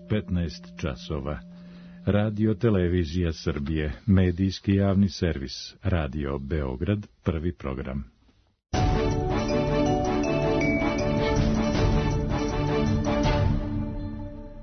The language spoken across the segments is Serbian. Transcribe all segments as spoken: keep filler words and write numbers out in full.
petnaest časova. Radio Televizija Srbije, medijski javni servis, Radio Beograd, prvi program.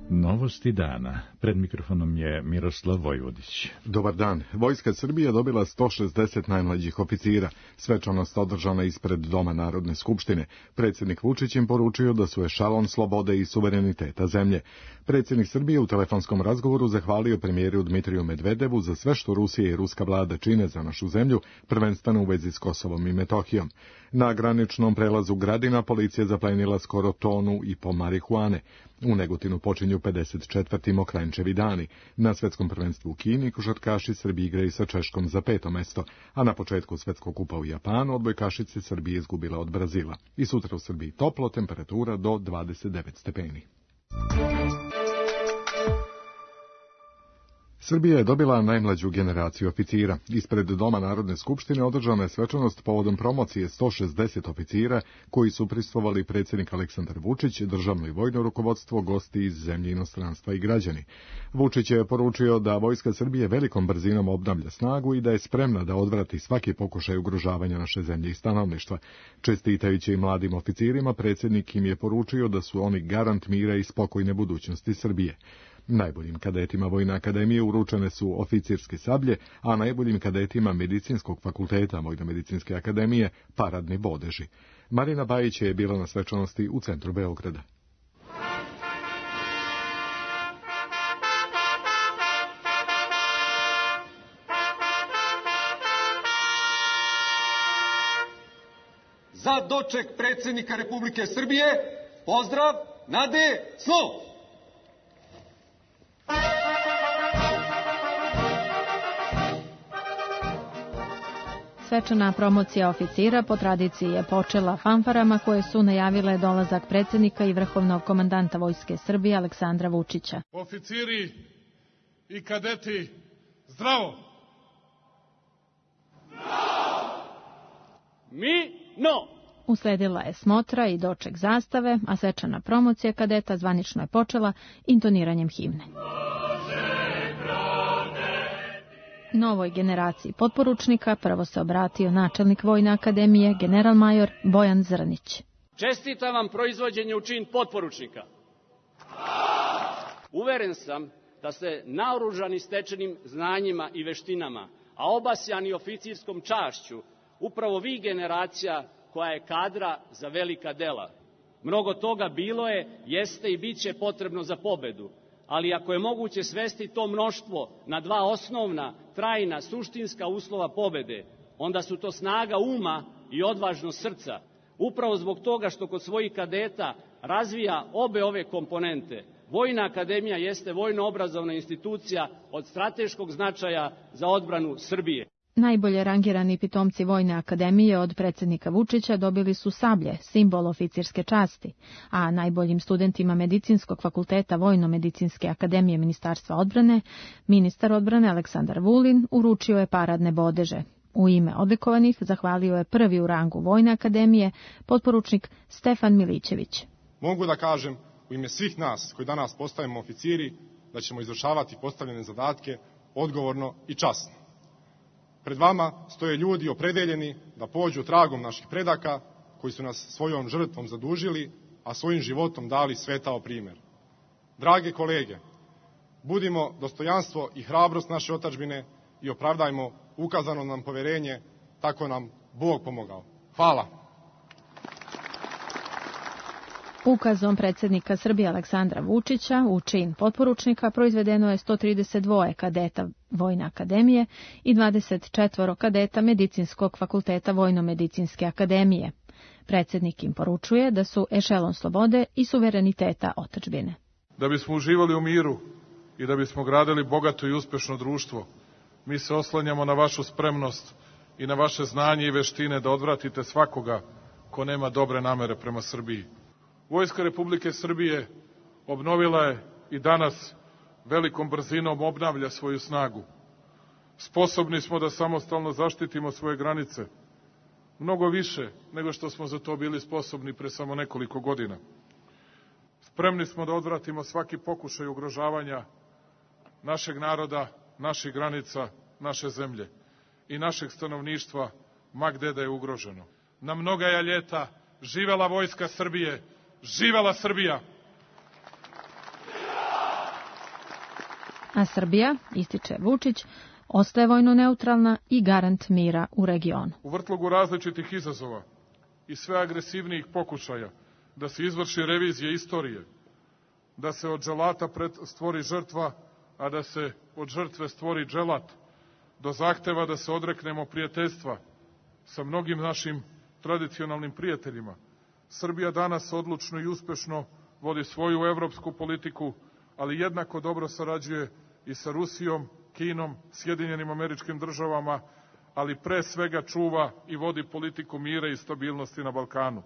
Novosti dana. Pred mikrofonom je Miroslav Vojvodić. Dobar dan. Vojska Srbije dobila sto šezdeset najmlađih oficira. Svečanost održana ispred Doma Narodne skupštine. Predsjednik Vučić im poručio da su ešalon slobode i suvereniteta zemlje. Predsjednik Srbije u telefonskom razgovoru zahvalio premijeru Dmitriju Medvedevu za sve što Rusija i ruska vlada čine za našu zemlju, prvenstveno u vezi s Kosovom i Metohijom. Na graničnom prelazu Gradina policija zaplenila skoro tonu i po marihuane. U Negotinu počinju pedeset četvrti Mokranjčevi dani. Na svetskom prvenstvu u Kini košarkaši Srbije igraju sa Češkom za peto mesto, a na početku svetskog kupa u Japanu odbojkašice Srbije izgubila od Brazila. I sutra u Srbiji toplo, temperatura do dvadeset devet stepeni. Srbija je dobila najmlađu generaciju oficira. Ispred Doma Narodne skupštine održana je svečanost povodom promocije sto šezdeset oficira koji su prisustvovali predsjednik Aleksandar Vučić, državno i vojno rukovodstvo, gosti iz zemlje, inostranstva i građani. Vučić je poručio da Vojska Srbije velikom brzinom obnavlja snagu i da je spremna da odvrati svaki pokušaj ugrožavanja naše zemlje i stanovništva. Čestitajući i mladim oficirima, predsjednik im je poručio da su oni garant mira i spokojne budućnosti Srbije. Najboljim kadetima Vojne akademije uručene su oficirske sablje, a najboljim kadetima Medicinskog fakulteta Vojno-medicinske akademije paradni bodeži. Marina Bajić je bila na svečanosti u centru Beograda. Za doček predsjednika Republike Srbije, pozdrav, nade, slov! Svečana promocija oficira po tradiciji je počela fanfarama koje su najavile dolazak predsjednika i vrhovnog komandanta Vojske Srbije Aleksandra Vučića. Oficiri i kadeti, zdravo! Zdravo! Mi, no! Usledila je smotra i doček zastave, a svečana promocija kadeta zvanično je počela intoniranjem himne. Novoj generaciji potporučnika prvo se obratio načelnik Vojne akademije, general-major Bojan Zrnić. Čestitam vam proizvođenje u čin potporučnika. Uveren sam da ste naoružani stečenim znanjima i veštinama, a obasjani oficirskom čašću, upravo vi generacija koja je kadra za velika dela. Mnogo toga bilo je, jeste i bit će potrebno za pobedu. Ali ako je moguće svesti to mnoštvo na dva osnovna, trajna, suštinska uslova pobede, onda su to snaga uma i odvažnost srca. Upravo zbog toga što kod svojih kadeta razvija obe ove komponente, Vojna akademija jeste vojno-obrazovna institucija od strateškog značaja za odbranu Srbije. Najbolje rangirani pitomci Vojne akademije od predsjednika Vučića dobili su sablje, simbol oficirske časti, a najboljim studentima Medicinskog fakulteta Vojno-medicinske akademije Ministarstva odbrane, ministar odbrane Aleksandar Vulin uručio je paradne bodeže. U ime odlikovanih zahvalio je prvi u rangu Vojne akademije, potporučnik Stefan Milićević. Mogu da kažem u ime svih nas koji danas postajemo oficiri da ćemo izvršavati postavljene zadatke odgovorno i časno. Pred vama stoje ljudi opredeljeni da pođu tragom naših predaka koji su nas svojom žrtvom zadužili, a svojim životom dali svetao primjer. Drage kolege, budimo dostojanstvo i hrabrost naše otadžbine i opravdajmo ukazano nam poverenje, tako nam Bog pomogao. Hvala. Ukazom predsjednika Srbije Aleksandra Vučića u čin potporučnika proizvedeno je sto trideset dva kadeta Vojne akademije i dvadeset četiri kadeta Medicinskog fakulteta Vojno-medicinske akademije. Predsjednik im poručuje da su ešelon slobode i suvereniteta otadžbine. Da bismo uživali u miru i da bismo gradili bogato i uspešno društvo, mi se oslanjamo na vašu spremnost i na vaše znanje i veštine da odvratite svakoga ko nema dobre namere prema Srbiji. Vojska Republike Srbije obnovila je i danas velikom brzinom obnavlja svoju snagu. Sposobni smo da samostalno zaštitimo svoje granice, mnogo više nego što smo za to bili sposobni pre samo nekoliko godina. Spremni smo da odvratimo svaki pokušaj ugrožavanja našeg naroda, naših granica, naše zemlje i našeg stanovništva, ma gde da je ugroženo. Na mnoga je ljeta živela Vojska Srbije, živela Srbija! A Srbija, ističe Vučić, ostaje vojno neutralna i garant mira u regionu. U vrtlogu različitih izazova i sve agresivnijih pokušaja da se izvrši revizija istorije, da se od dželata stvori žrtva, a da se od žrtve stvori dželat, do zahteva da se odreknemo prijateljstva sa mnogim našim tradicionalnim prijateljima. Srbija danas odlučno i uspešno vodi svoju evropsku politiku, ali jednako dobro sarađuje i sa Rusijom, Kinom, Sjedinjenim Američkim Državama, ali pre svega čuva i vodi politiku mira i stabilnosti na Balkanu.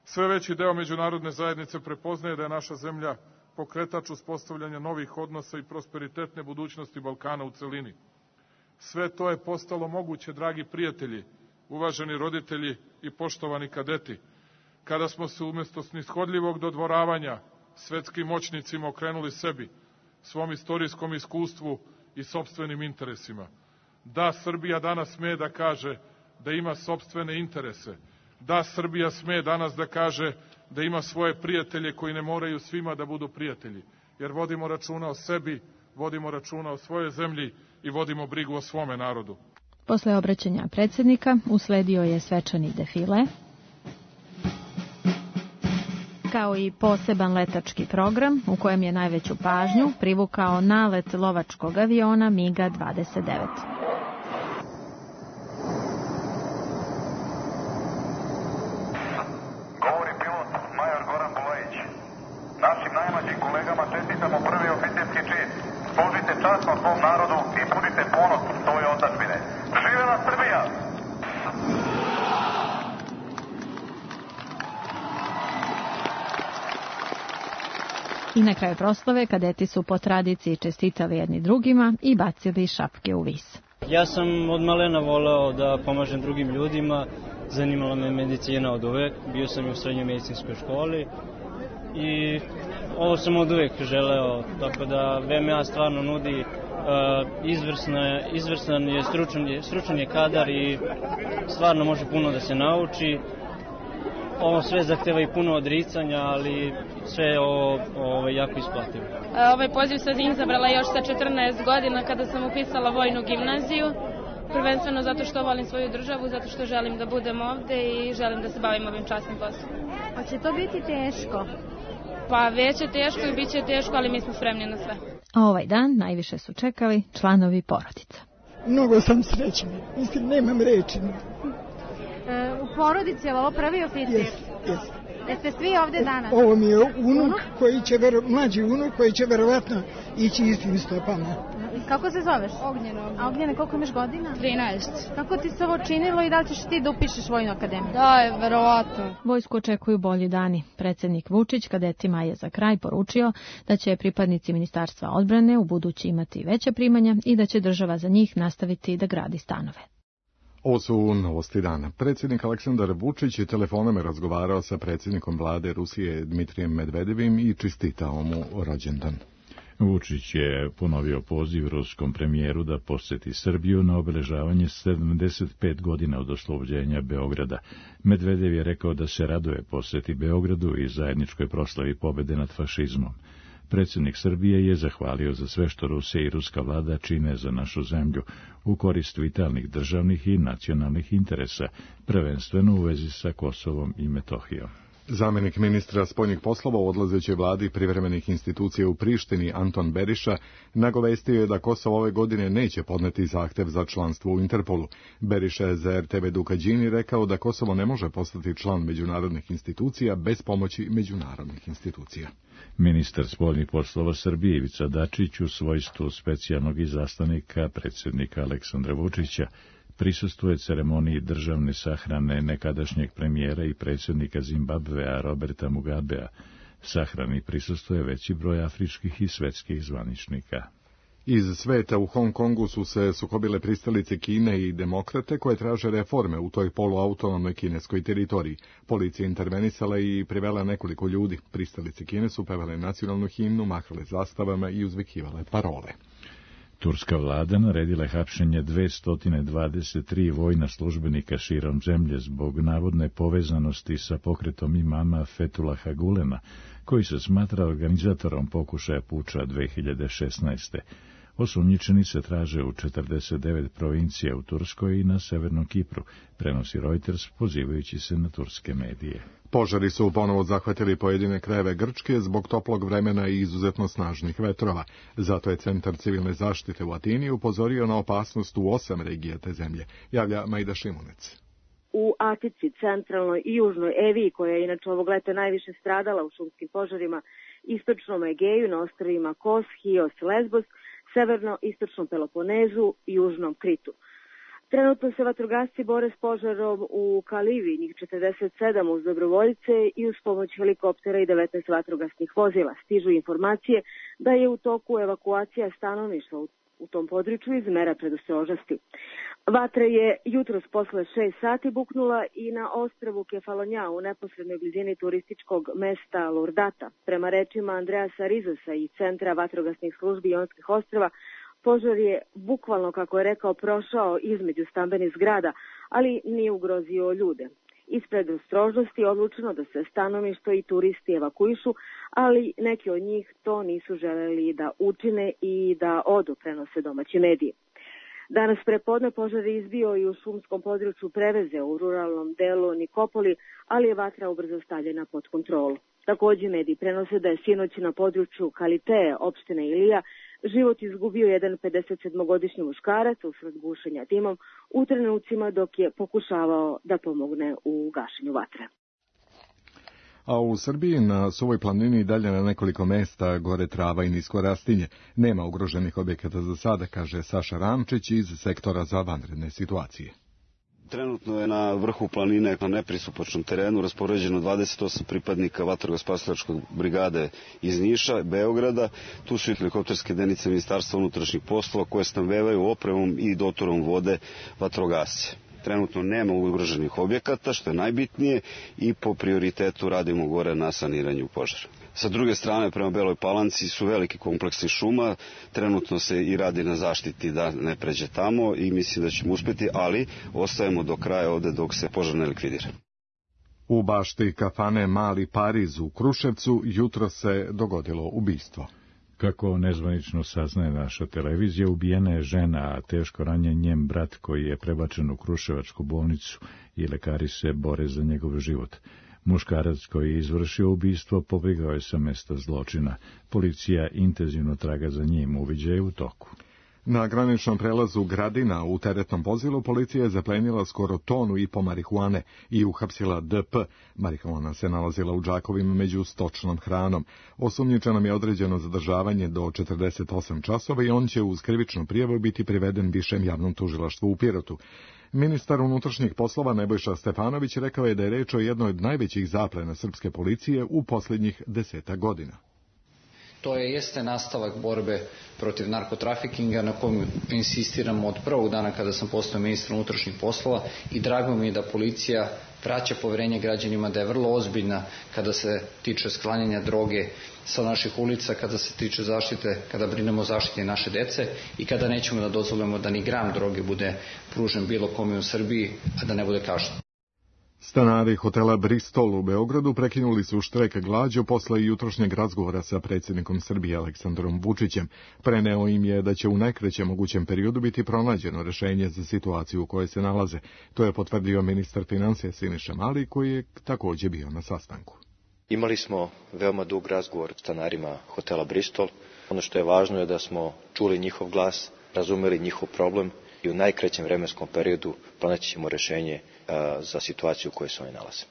Sve veći deo međunarodne zajednice prepoznaje da je naša zemlja pokretač uspostavljanja novih odnosa i prosperitetne budućnosti Balkana u celini. Sve to je postalo moguće, dragi prijatelji, uvaženi roditelji i poštovani kadeti, kada smo se umjesto snishodljivog dodvoravanja svetskim moćnicima okrenuli sebi, svom istorijskom iskustvu i sopstvenim interesima. Da, Srbija danas sme da kaže da ima sopstvene interese. Da, Srbija sme danas da kaže da ima svoje prijatelje koji ne moraju svima da budu prijatelji, jer vodimo računa o sebi, vodimo računa o svojoj zemlji i vodimo brigu o svome narodu. Posle obraćanja predsjednika usledio je svečani defile, kao i poseban letački program u kojem je najveću pažnju privukao nalet lovačkog aviona MiG dvadeset devet. Govori pilot major Goran Bulajić. Našim najmlađim kolegama čestitamo prvi oficirski čin. Služite časno svom narodu i budite ponos svoje otadžbine. Živela Srbija! I na kraju proslave kadeti su po tradiciji čestitali jedni drugima i bacili šapke u vis. Ja sam od malena voleo da pomažem drugim ljudima, zanimala me medicina od uvek, bio sam i u srednjoj medicinskoj školi i ovo sam od uvek želeo, tako da V M A stvarno nudi uh, izvrsna, izvrstan je, stručan je, stručan je kadar i stvarno može puno da se nauči. Ovo sve zahteva i puno odricanja, ali sve je ovo, ovo jako isplativo. Ovaj poziv sam izabrala još sa četrnaest godina kada sam upisala vojnu gimnaziju. Prvenstveno zato što volim svoju državu, zato što želim da budem ovde i želim da se bavim ovim časnim poslom. A će to biti teško? Pa već je teško i bit će teško, ali mi smo spremni na sve. A ovaj dan najviše su čekali članovi porodica. Mnogo sam srećna, mislim, nemam reči. U porodici je ovo prvi oficir? Jes, jes. Jeste svi ovde danas? Ovo mi je unuk, koji će, mlađi unuk koji će verovatno ići istim stopama. Kako se zoveš? Ognjena. A Ognjena, koliko imaš godina? trinaest. Kako ti se ovo činilo i da li ćeš ti da upišeš vojnu akademiju? Da, je, verovatno. Vojsku očekuju bolji dani. Predsjednik Vučić kadetima je za kraj poručio da će pripadnici Ministarstva odbrane u budući imati veće primanja i da će država za njih nastaviti da gradi stanove. Ovo su novosti dana. Predsjednik Aleksandar Vučić je telefonom razgovarao sa predsjednikom vlade Rusije Dmitrijem Medvedevim i čestitao mu rođendan. Vučić je ponovio poziv ruskom premijeru da posjeti Srbiju na obeležavanje sedamdeset pet godina od oslobođenja Beograda. Medvedev je rekao da se raduje posjeti Beogradu i zajedničkoj proslavi pobjede nad fašizmom. Predsjednik Srbije je zahvalio za sve što Rusija i ruska vlada čine za našu zemlju u korist vitalnih državnih i nacionalnih interesa, prvenstveno u vezi sa Kosovom i Metohijom. Zamjenik ministra spoljnih poslova u odlazećoj vladi privremenih institucija u Prištini Anton Beriša nagovestio je da Kosovo ove godine neće podneti zahtev za članstvo u Interpolu. Beriša je za R T V Dukađini rekao da Kosovo ne može postati član međunarodnih institucija bez pomoći međunarodnih institucija. Ministar spoljnih poslova Srbije Ivica Dačić u svojstvu specijalnog izaslanika predsjednika Aleksandra Vučića prisustvuje ceremoniji državne sahrane nekadašnjeg premijera i predsjednika Zimbabvea Roberta Mugabea. Sahrani prisustvuje veći broj afričkih i svetskih zvaničnika. Iz sveta u Hong Kongu su se sukobile pristalice Kine i demokrate koje traže reforme u toj poluautonomnoj kineskoj teritoriji. Policija intervenisala i privela nekoliko ljudi. Pristalice Kine su pevale nacionalnu himnu, mahale zastavama i uzvikivale parole. Turska vlada naredila je hapšenje dvesta dvadeset tri vojna službenika širom zemlje zbog navodne povezanosti sa pokretom imama Fethullaha Gulena, koji se smatra organizatorom pokušaja puča dve hiljade šesnaeste. Osumnjičeni se traže u četrdeset devet provincija u Turskoj i na Severnom Kipru, prenosi Reuters pozivajući se na turske medije. Požari su ponovo zahvatili pojedine krajeve Grčke zbog toplog vremena i izuzetno snažnih vetrova. Zato je Centar civilne zaštite u Atini upozorio na opasnost u osam regija te zemlje, javlja Majda Šimunec. U Atici, centralnoj i južnoj Eviji, koja je inače ovog leta najviše stradala u šumskim požarima, istočnom Egeju, na ostrvima Kos, Hios, Lesbos, severno-istočnom Peloponezu i južnom Kritu. Trenutno se vatrogasci bore s požarom u Kalivi, njih četrdeset sedam uz dobrovoljce i uz pomoć helikoptera i devetnaest vatrogasnih vozila. Stižu informacije da je u toku evakuacija stanovništva u u tom području iz mera predostrožnosti. Vatra je jutros posle šest sati buknula i na ostrvu Kefalonja u neposrednoj blizini turističkog mesta Lurdata. Prema rečima Andreasa Rizosa i Centra vatrogasnih službi Jonskih ostrva, požar je bukvalno, kako je rekao, prošao između stambenih zgrada, ali nije ugrozio ljude. Iz predostrožnosti odlučeno da se stanovništvo i turisti evakuišu, ali neki od njih to nisu želeli da učine i da odu, prenose domaći mediji. Danas prepodne požar je izbio i u šumskom području Preveze u ruralnom delu Nikopoli, ali je vatra ubrzo stavljena pod kontrolu. Takođe mediji prenose da je sinoć na području Kaliteje, opštine Ilija, život izgubio jedan pedesetsedmogodišnji muškarac usled gušenja dimom u trenucima dok je pokušavao da pomogne u gašenju vatre. A u Srbiji na Suvoj planini dalje na nekoliko mesta gore trava i nisko rastinje. Nema ugroženih objekata za sada, kaže Saša Ramčić iz sektora za vanredne situacije. Trenutno je na vrhu planine na nepristupačnom terenu raspoređeno dvadeset osam pripadnika vatrogasno-spasilačke brigade iz Niša, Beograda. Tu su i helikopterske jedinice Ministarstva unutrašnjih poslova koje snabdevaju opremom i dotorom vode vatrogasce. Trenutno nema ugroženih objekata, što je najbitnije, i po prioritetu radimo gore na saniranju požara. Sa druge strane, prema Beloj Palanci su veliki kompleksi šuma, trenutno se i radi na zaštiti da ne pređe tamo i mislim da ćemo uspjeti, ali ostajemo do kraja ovde dok se požar ne likvidira. U bašti kafane Mali Pariz u Kruševcu jutro se dogodilo ubistvo. Kako nezvanično saznaje naša televizija, ubijena je žena, a teško ranjen njen brat koji je prebačen u Kruševačku bolnicu i lekari se bore za njegov život. Muškarac koji je izvršio ubistvo pobegao je sa mesta zločina. Policija intenzivno traga za njim, uviđaj u toku. Na graničnom prelazu Gradina u teretnom vozilu policija je zaplenila skoro tonu i po marihuane i uhapsila D P. Marihuana se nalazila u džakovima među stočnom hranom. Osumnjičenom je određeno zadržavanje do četrdeset osam časova i on će uz krivičnu prijavu biti priveden višem javnom tužilaštvu u Pirotu. Ministar unutrašnjih poslova Nebojša Stefanović rekao je da je reč o jednoj od najvećih zaplena srpske policije u posljednjih deseta godina. To je jeste nastavak borbe protiv narkotrafikinga na kojem insistiramo od prvog dana kada sam postao ministar unutrašnjih poslova i drago mi je da policija vraća poverenje građanima, da je vrlo ozbiljna kada se tiče sklanjanja droge sa naših ulica, kada se tiče zaštite, kada brinemo o zaštiti naše dece i kada nećemo da dozvolimo da ni gram droge bude pružen bilo kome u Srbiji, a da ne bude kažnjen. Stanari hotela Bristol u Beogradu prekinuli su štrajk glađu posle jutrošnjeg razgovora sa predsjednikom Srbije Aleksandrom Vučićem. Preneo im je da će u najkraćem mogućem periodu biti pronađeno rešenje za situaciju u kojoj se nalaze. To je potvrdio ministar financija Siniša Mali, koji je također bio na sastanku. Imali smo veoma dug razgovor s stanarima hotela Bristol. Ono što je važno je da smo čuli njihov glas, razumeli njihov problem i u najkraćem vremenskom periodu pronaći ćemo rešenje za situaciju u kojoj se oni nalaze.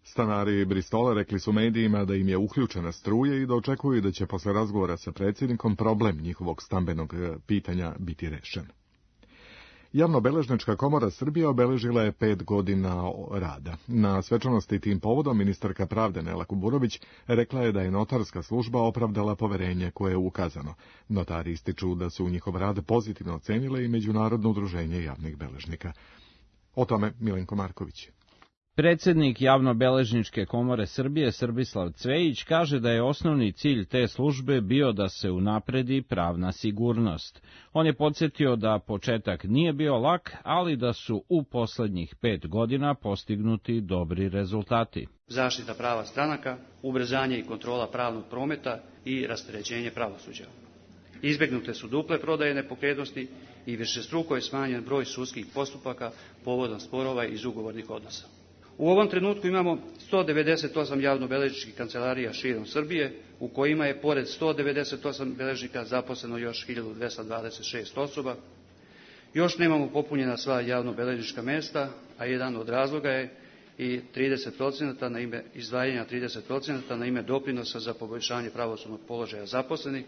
Stanari Bristola rekli su medijima da im je uključena struja i da očekuju da će posle razgovora sa predsjednikom problem njihovog stambenog pitanja biti rešen. Javnobeležnička komora Srbije obeležila je pet godina rada. Na svečanosti tim povodom ministarka pravde Nela Kuburović rekla je da je notarska služba opravdala poverenje koje je ukazano. Notari ističu da su njihov rad pozitivno ocenile i Međunarodno udruženje javnih beležnika. O tome Milenko Marković. Predsednik Javnobeležničke komore Srbije Srbislav Cvejić kaže da je osnovni cilj te službe bio da se unapredi pravna sigurnost. On je podsjetio da početak nije bio lak, ali da su u poslednjih pet godina postignuti dobri rezultati. Zaštita prava stranaka, ubrzanje i kontrola pravnog prometa i rasterećenje pravosuđa. Izbegnute su duple prodaje nepokretnosti i višestruko je smanjen broj sudskih postupaka povodom sporova iz ugovornih odnosa. U ovom trenutku imamo sto devedeset osam javnobeležničkih kancelarija širom Srbije, u kojima je pored sto devedeset osam beležnika zaposleno još hiljadu dvesta dvadeset šest osoba. Još nemamo popunjena sva javnobeležnička mesta, a jedan od razloga je i trideset procenata na ime izdvajanja trideset procenata na ime doprinosa za poboljšanje pravosudnog položaja zaposlenih,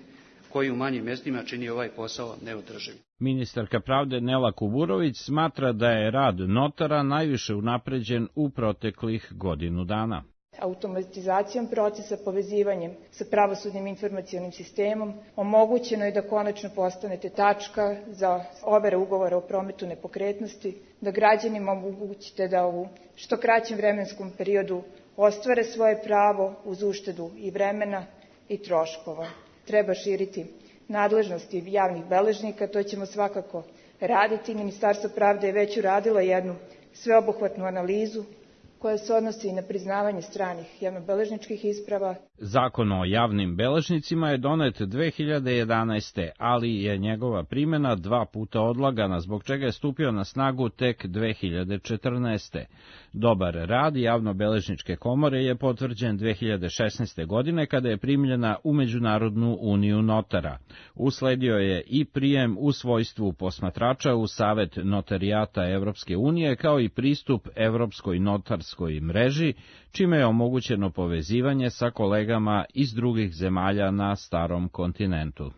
koji u manjim mestima čini ovaj posao neodrživ. Ministarka pravde Nela Kuburović smatra da je rad notara najviše unapređen u proteklih godinu dana. Automatizacijom procesa, povezivanjem sa pravosudnim informacionim sistemom, omogućeno je da konačno postanete tačka za overe ugovora o prometu nepokretnosti, da građanima omogućite da u što kraćem vremenskom periodu ostvare svoje pravo uz uštedu i vremena i troškova. Treba širiti nadležnosti javnih beležnika, to ćemo svakako raditi. Ministarstvo pravde je već uradilo jednu sveobuhvatnu analizu koja se odnosi i na priznavanje stranih javnobeležničkih isprava. Zakon o javnim beležnicima je donet dve hiljade jedanaeste. ali je njegova primjena dva puta odlagana, zbog čega je stupio na snagu tek dve hiljade četrnaeste. Dobar rad javnobeležničke komore je potvrđen dve hiljade šesnaeste. godine kada je primljena u Međunarodnu uniju notara. Usledio je i prijem u svojstvu posmatrača u Savet notarijata Evropske unije, kao i pristup Evropskoj notarskoj mreži, čime je omogućeno povezivanje sa kolegama iz drugih zemalja na starom kontinentu.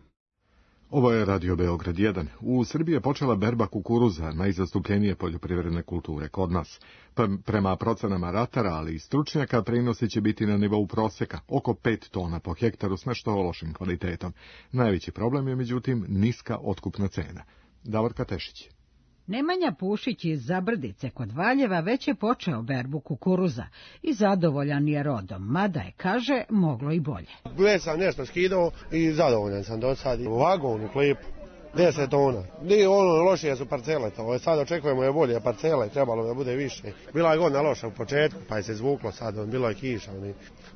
Ovo je Radio Beograd jedan. U Srbiji je počela berba kukuruza, najzastupljenije poljoprivredne kulture kod nas. Prema procenama ratara, ali i stručnjaka, prinosi će biti na nivou proseka, oko pet tona po hektaru s nešto lošim kvalitetom. Najveći problem je, međutim, niska otkupna cena. Davorka Tešić. Nemanja Pušić iz Zabrdice kod Valjeva već je počeo berbu kukuruza i zadovoljan je rodom, mada je, kaže, moglo i bolje. Već sam nešto skidao i zadovoljan sam do sad. U vagonu klipu, deset tona. Nije ono lošije su parcele, to sad očekujemo je bolje parcele, trebalo da bude više. Bila je godina loša u početku, pa je se zvuklo sad, bilo je kiša.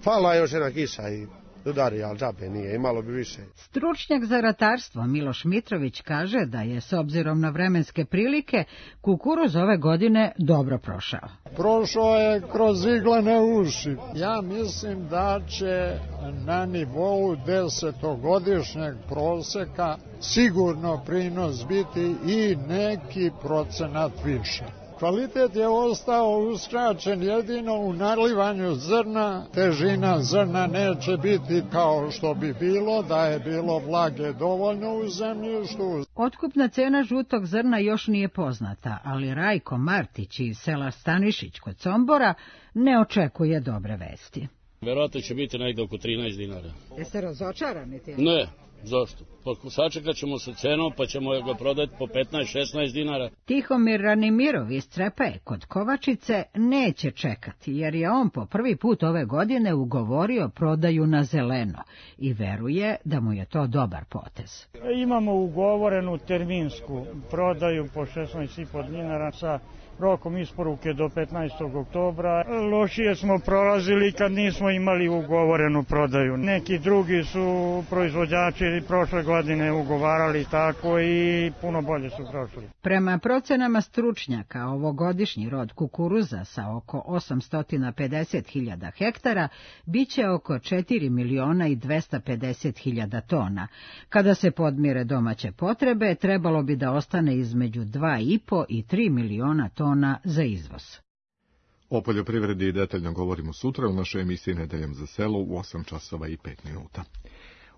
Falila je još jedna kiša i udari, ali džabe nije, imalo bi više. Stručnjak za ratarstvo Miloš Mitrović kaže da je, s obzirom na vremenske prilike, kukuruz ove godine dobro prošao. Prošao je kroz iglene uši. Ja mislim da će na nivou desetogodišnjeg proseka sigurno prinos biti i neki procenat više. Kvalitet je ostao uskraćen jedino u nalivanju zrna, težina zrna neće biti kao što bi bilo da je bilo vlage dovoljno u zemljištu. Otkupna cena žutog zrna još nije poznata, ali Rajko Martić iz sela Stanišić kod Sombora ne očekuje dobre vesti. Verovatno će biti negde oko trinaest dinara. Jeste razočarani ti? Ne. Zašto? Pa sačekat ćemo sa cenom, pa ćemo ga prodati po petnaest šesnaest dinara. Tihomir Ranimirov iz Crepaje kod Kovačice neće čekati, jer je on po prvi put ove godine ugovorio prodaju na zeleno i veruje da mu je to dobar potez. Imamo ugovorenu terminsku prodaju po šesnaest i po dinara sa rokom isporuke do petnaestog oktobra. Lošije smo prolazili kad nismo imali ugovorenu prodaju. Neki drugi su proizvođači prošle godine ugovarali tako i puno bolje su prošli. Prema procenama stručnjaka, ovogodišnji rod kukuruza sa oko osamsto pedeset hiljada hektara biće oko četiri miliona i dvesta pedeset hiljada tona. Kada se podmire domaće potrebe, trebalo bi da ostane između dva i po i tri miliona tona za izvoz. O poljoprivredi detaljno govorimo sutra u našoj emisiji Nedeljom za selo u osam časova i pet minuta.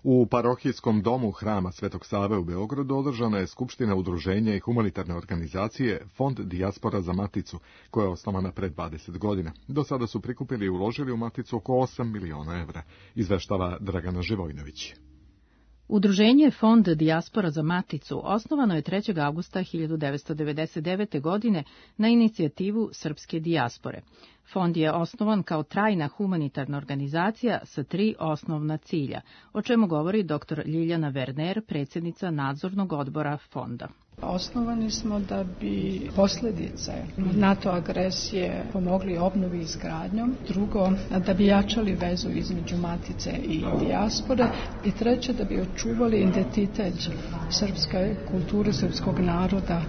U parohijskom domu Hrama Svetog Save u Beogradu održana je skupština udruženja i humanitarne organizacije Fond Dijaspora za Maticu, koja je osnovana pred dvadeset godina. Do sada su prikupili i uložili u Maticu oko osam miliona evra, izveštava Dragana Živojnović. Udruženje Fond Dijaspora za Maticu osnovano je trećeg avgusta hiljadu devetsto devedeset devete. godine na inicijativu srpske dijaspore. Fond je osnovan kao trajna humanitarna organizacija sa tri osnovna cilja, o čemu govori dr Ljiljana Werner, predsjednica nadzornog odbora fonda. Osnovani smo da bi posljedice NATO agresije pomogli obnovi i izgradnjom, drugo da bi jačali vezu između Matice i dijaspore i treće da bi očuvali identitet srpske kulture, srpskog naroda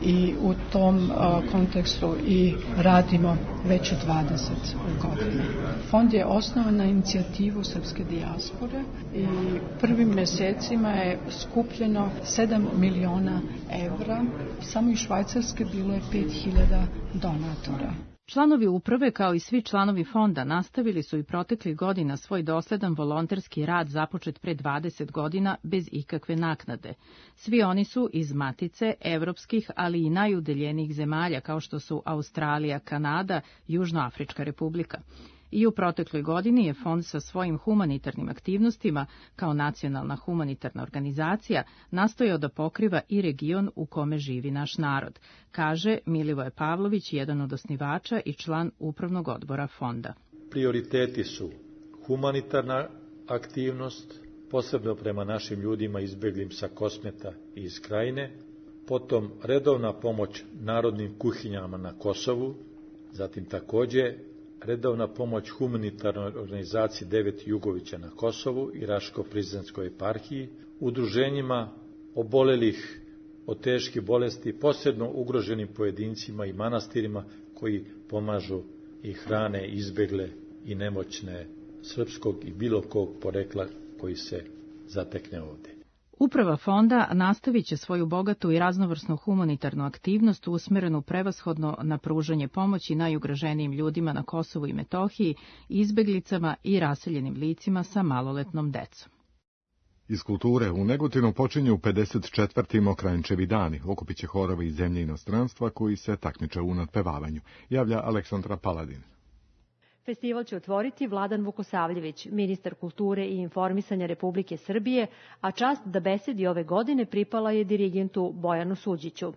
i u tom uh, kontekstu i radimo već dvadeset godina. Fond je osnovan na inicijativu srpske dijaspore i prvim mjesecima je skupljeno sedam miliona evra, samo iz Švajcarske bilo je pet hiljada donatora. Članovi uprave, kao i svi članovi fonda, nastavili su i proteklih godina svoj dosledan volonterski rad započet pre dvadeset godina bez ikakve naknade. Svi oni su iz Matice, evropskih, ali i najudaljenijih zemalja kao što su Australija, Kanada, Južnoafrička republika. I u protekloj godini je fond sa svojim humanitarnim aktivnostima, kao nacionalna humanitarna organizacija, nastojao da pokriva i region u kome živi naš narod, kaže Milivoje Pavlović, jedan od osnivača i član upravnog odbora fonda. Prioriteti su humanitarna aktivnost, posebno prema našim ljudima izbeglim sa Kosmeta i iz Krajine, potom redovna pomoć narodnim kuhinjama na Kosovu, zatim takođe redovna pomoć humanitarnoj organizaciji Devet Jugovića na Kosovu i Raško-Prizrenskoj eparhiji, udruženjima obolelih od teških bolesti, posebno ugroženim pojedincima i manastirima koji pomažu i hrane izbegle i nemoćne srpskog i bilo kog porekla koji se zatekne ovde. Uprava fonda nastavit će svoju bogatu i raznovrsnu humanitarnu aktivnost usmerenu prevashodno na pružanje pomoći najugroženijim ljudima na Kosovu i Metohiji, izbeglicama i raseljenim licima sa maloletnom decom. Iz kulture u Negotinu počinju pedeset četvrti Mokranjčevi dani. Okupit će horovi iz zemlje i inostranstva koji se takmiče u nadpevavanju, javlja Aleksandra Paladin. Festival će otvoriti Vladan Vukosavljević, ministar kulture i informisanja Republike Srbije, a čast da besedi ove godine pripala je dirigentu Bojanu Suđiću.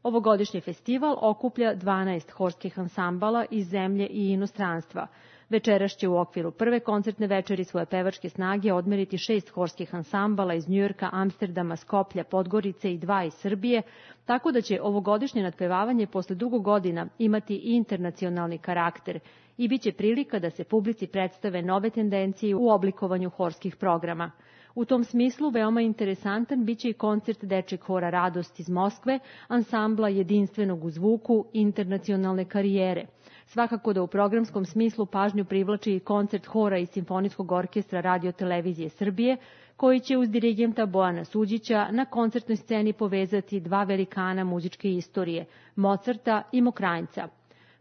Ovogodišnji festival okuplja dvanaest horskih ansambala iz zemlje i inostranstva. Večeras će u okviru prve koncertne večeri svoje pevačke snage odmeriti šest horskih ansambala iz Njujorka, Amsterdama, Skoplja, Podgorice i dva iz Srbije, tako da će ovogodišnje nadpevavanje posle dugo godina imati i internacionalni karakter i bit će prilika da se publici predstave nove tendencije u oblikovanju horskih programa. U tom smislu veoma interesantan bit će i koncert dečjeg hora Radost iz Moskve, ansambla jedinstvenog u zvuku internacionalne karijere. Svakako da u programskom smislu pažnju privlači i koncert hora i simfonijskog orkestra Radio-televizije Srbije, koji će uz dirigenta Bojana Suđića na koncertnoj sceni povezati dva velikana muzičke istorije, Mozarta i Mokranjca.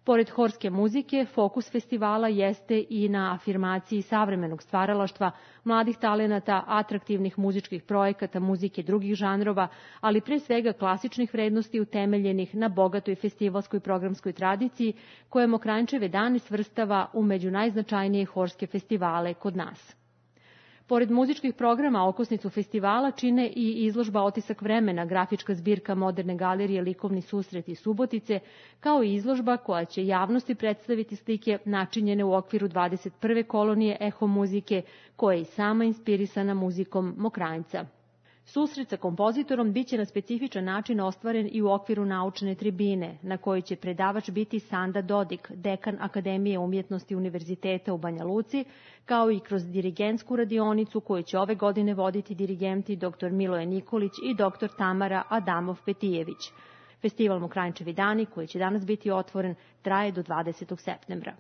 Pored horske muzike, fokus festivala jeste i na afirmaciji savremenog stvaralaštva, mladih talenata, atraktivnih muzičkih projekata, muzike drugih žanrova, ali pre svega klasičnih vrednosti utemeljenih na bogatoj festivalskoj programskoj tradiciji, koja Mokranjčeve dane svrstava u među najznačajnije horske festivale kod nas. Pored muzičkih programa, okosnicu festivala čine i izložba Otisak vremena, grafička zbirka Moderne galerije Likovni susret iz Subotice, kao i izložba koja će javnosti predstaviti slike načinjene u okviru dvadeset prve kolonije eho muzike, koja je i sama inspirisana muzikom Mokranjca. Susret sa kompozitorom biće na specifičan način ostvaren i u okviru naučne tribine, na kojoj će predavač biti Sanda Dodik, dekan Akademije umjetnosti Univerziteta u Banja Luci, kao i kroz dirigentsku radionicu koju će ove godine voditi dirigenti dr Miloje Nikolić i dr Tamara Adamov-Petijević. Festival Mokranjčevi dani, koji će danas biti otvoren, traje do dvadesetog septembra.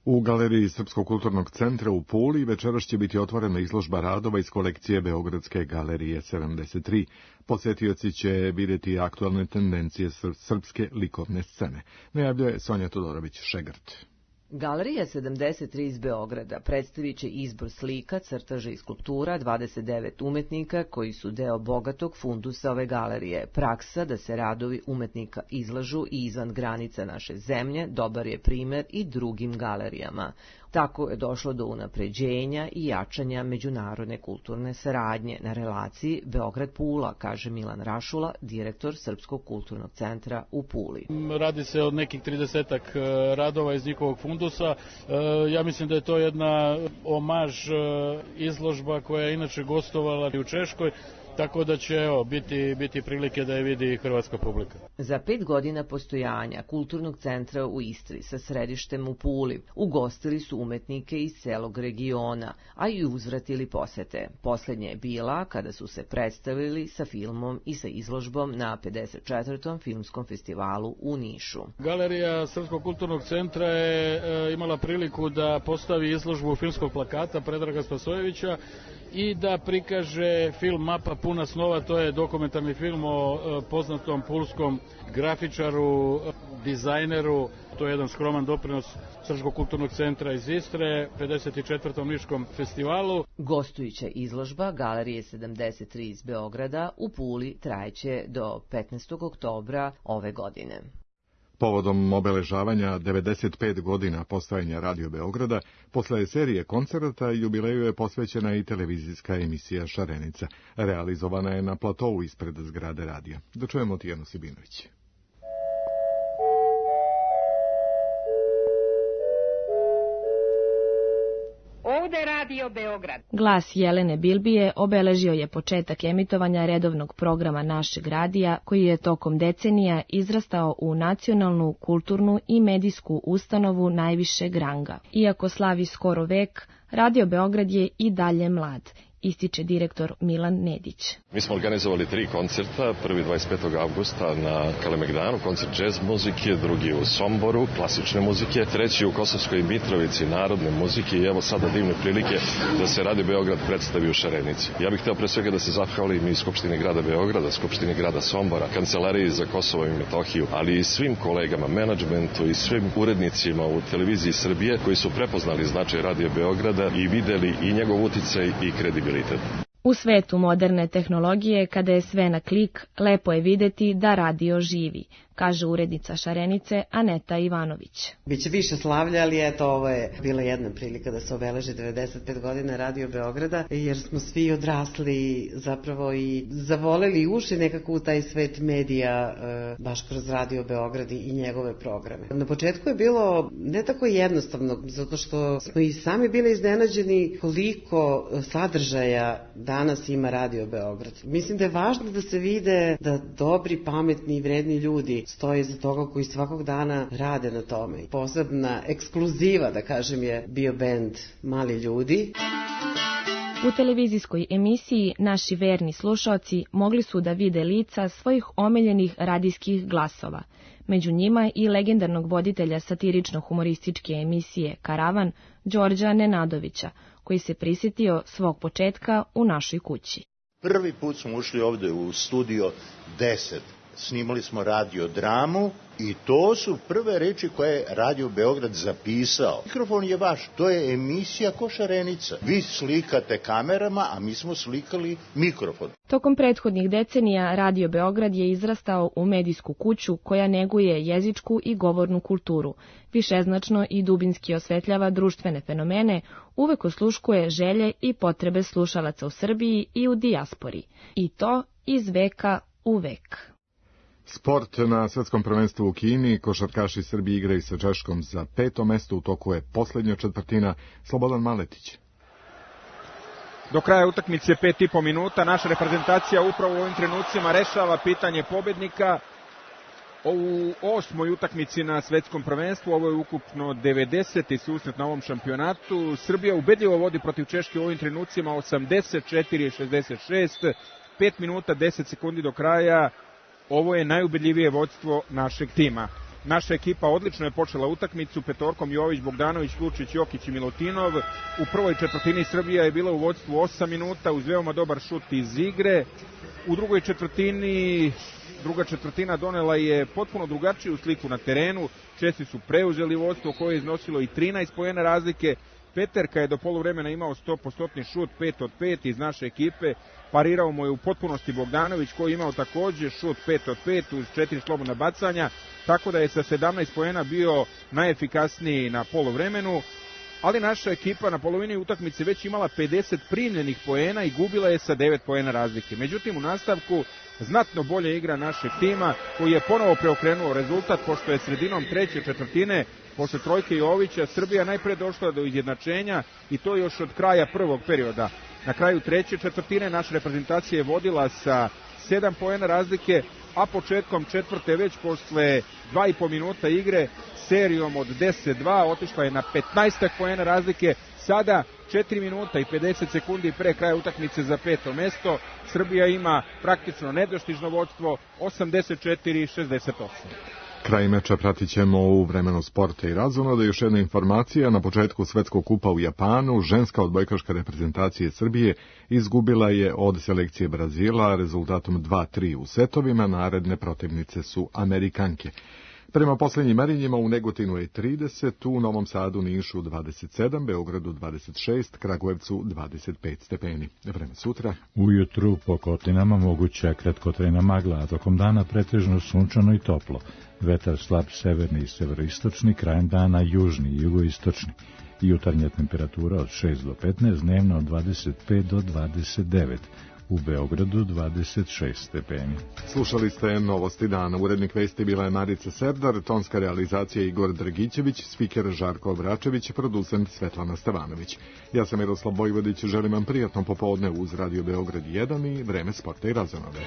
U Galeriji Srpskog kulturnog centra u Puli večeras će biti otvorena izložba radova iz kolekcije Beogradske galerije sedamdeset tri. Posetioci će vidjeti aktualne tendencije srpske likovne scene, najavljuje Sonja Todorović-Šegrt. Galerija sedamdeset tri iz Beograda predstavit će izbor slika, crtaža i skulptura dvadeset devet umetnika koji su deo bogatog fundusa ove galerije. Praksa da se radovi umetnika izlažu i izvan granica naše zemlje dobar je primer i drugim galerijama. Tako je došlo do unapređenja i jačanja međunarodne kulturne saradnje na relaciji Beograd-Pula, kaže Milan Rašula, direktor Srpskog kulturnog centra u Puli. Radi se od nekih tridesetak radova iz njihovog fundusa. Ja mislim da je to jedna omaž izložba koja je inače gostovala i u Češkoj, tako da će evo, biti, biti prilike da je vidi hrvatska publika. Za pet godina postojanja Kulturnog centra u Istri sa središtem u Puli ugostili su umetnike iz celog regiona, a i uzvratili posete. Poslednja je bila kada su se predstavili sa filmom i sa izložbom na pedeset četvrtom filmskom festivalu u Nišu. Galerija Srpskog kulturnog centra je e, imala priliku da postavi izložbu filmskog plakata Predraga Spasojevića i da prikaže film Mapa puna snova, to je dokumentarni film o e, poznatom pulskom grafičaru, dizajneru, to je jedan skroman doprinos Srpskog kulturnog centra iz Istre, pedeset četvrtom Niškom festivalu. Gostujuća izložba Galerije sedamdeset tri iz Beograda u Puli trajeće do petnaestog oktobra ove godine. Povodom obeležavanja devedeset pet godina postojanja Radio Beograda, posle serije koncerata jubileju je posvećena i televizijska emisija Šarenica. Realizovana je na platovu ispred zgrade radija. Da čujemo Tijanu Sibinović. Ovde Radio Beograd. Glas Jelene Bilbije obeležio je početak emitovanja redovnog programa našeg radija, koji je tokom decenija izrastao u nacionalnu, kulturnu i medijsku ustanovu najvišeg ranga. Iako slavi skoro vek, Radio Beograd je i dalje mlad, ističe direktor Milan Nedić. Mi smo organizovali tri koncerta, prvi dvadeset petog avgusta na Kalemegdanu, koncert džez muzike, drugi u Somboru, klasične muzike, treći u Kosovskoj Mitrovici, narodne muzike i evo sada divne prilike da se Radio Beograd predstavi u Šarenici. Ja bih hteo pre svega da se zahvalim i Skupštini grada Beograda, Skupštini grada Sombora, Kancelariji za Kosovo i Metohiju, ali i svim kolegama, menadžmentu i svim urednicima u televiziji Srbije koji su prepoznali značaj Radio Beograda i videli i njegov uticaj i kredibilitet. U svetu moderne tehnologije, kada je sve na klik, lepo je videti da radio živi, kaže urednica Šarenice Aneta Ivanović. Biće više slavlja, ali eto, ovo je bila jedna prilika da se obeleži devedeset pet godina Radio Beograda, jer smo svi odrasli zapravo i zavoleli i ušli nekako u taj svet medija baš kroz Radio Beograd i njegove programe. Na početku je bilo ne tako jednostavno, zato što smo i sami bili iznenađeni koliko sadržaja danas ima Radio Beograd. Mislim da je važno da se vide da dobri, pametni i vredni ljudi stoje iza toga koji svakog dana rade na tome. Posebna ekskluziva, da kažem, je bio bend Mali ljudi. U televizijskoj emisiji naši verni slušaoci mogli su da vide lica svojih omiljenih radijskih glasova. Među njima i legendarnog voditelja satirično-humorističke emisije Karavan, Đorđa Nenadovića, koji se prisjetio svog početka u našoj kući. Prvi put smo ušli ovde u studio deset. Snimali smo radio dramu i to su prve reči koje je Radio Beograd zapisao. Mikrofon je vaš, to je emisija ko Šarenica. Vi slikate kamerama, a mi smo slikali mikrofon. Tokom prethodnih decenija Radio Beograd je izrastao u medijsku kuću koja neguje jezičku i govornu kulturu, višeznačno i dubinski osvetljava društvene fenomene, uvek osluškuje želje i potrebe slušalaca u Srbiji i u dijaspori. I to iz veka u vek. Sport na svetskom prvenstvu u Kini, košarkaši Srbije igraju sa Češkom za peto mesto, u toku je poslednja četvrtina. Slobodan Maletić. Do kraja utakmice pet i po minuta, naša reprezentacija upravo u ovim trenucima rešava pitanje pobednika u osmoj utakmici na svetskom prvenstvu. Ovo je ukupno devedeseti susret na ovom šampionatu. Srbija ubedljivo vodi protiv Češke u ovim trenucima osamdeset četiri šezdeset šest, pet minuta deset sekundi do kraja. Ovo je najubedljivije vođstvo našeg tima. Naša ekipa odlično je počela utakmicu petorkom Jović, Bogdanović, Lučić, Jokić i Milutinov. U prvoj četvrtini Srbija je bila u vođstvu osam minuta uz veoma dobar šut iz igre. U drugoj četvrtini Druga četvrtina donela je potpuno drugačiju sliku na terenu. Česi su preuzeli vodstvo koje je iznosilo i trinaest poena razlike. Peterka je do poluvremena imao sto posto šut, pet od pet iz naše ekipe. Parirao mu je u potpunosti Bogdanović koji je imao takođe šut pet od pet uz četiri slobodna bacanja, tako da je sa sedamnaest poena bio najefikasniji na poluvremenu. Ali naša ekipa na polovini utakmice već imala pedeset primljenih poena i gubila je sa devet poena razlike. Međutim, u nastavku znatno bolje igra našeg tima koji je ponovo preokrenuo rezultat, pošto je sredinom treće četvrtine posle trojke Jovića Srbija najpre došla do izjednačenja i to još od kraja prvog perioda. Na kraju treće četvrtine naša reprezentacija je vodila sa sedam poena razlike, a početkom četvrte već posle dva i po minuta igre serijom od deset dva otišla je na petnaest poena razlike. Sada četiri minuta i pedeset sekundi pre kraja utakmice za peto mesto. Srbija ima praktično nedostižno vodstvo osamdeset četiri šezdeset osam. Kraj meča pratit ćemo u vremenu sporta i razonode. Još jedna informacija, na početku Svetskog kupa u Japanu, ženska odbojkaška reprezentacija Srbije izgubila je od selekcije Brazila rezultatom dva tri u setovima, naredne protivnice su Amerikanke. Prema poslednjim merenjima u Negotinu je trideset, u Novom Sadu, Nišu dvadeset sedam, Beogradu dvadeset šest, Kragujevcu dvadeset pet stepeni. Vreme sutra. Ujutru po kotlinama moguća kratkotrajna magla, a tokom dana pretežno sunčano i toplo. Vetar slab severni i severoistočni, krajem dana južni i jugoistočni. Jutarnja temperatura od šest do petnaest, dnevno od dvadeset pet do dvadeset devet. U Beogradu dvadeset šest stepeni. Slušali ste Novosti dana. Urednik vesti bila je Marica Serdar, tonska realizacija Igor Dragićević, spiker Žarko Obračević, producent Svetlana Stevanović. Ja sam Miroslav Vojvodić, želim vam prijatno popodne uz Radio Beograd jedan i vreme sporta i razonode.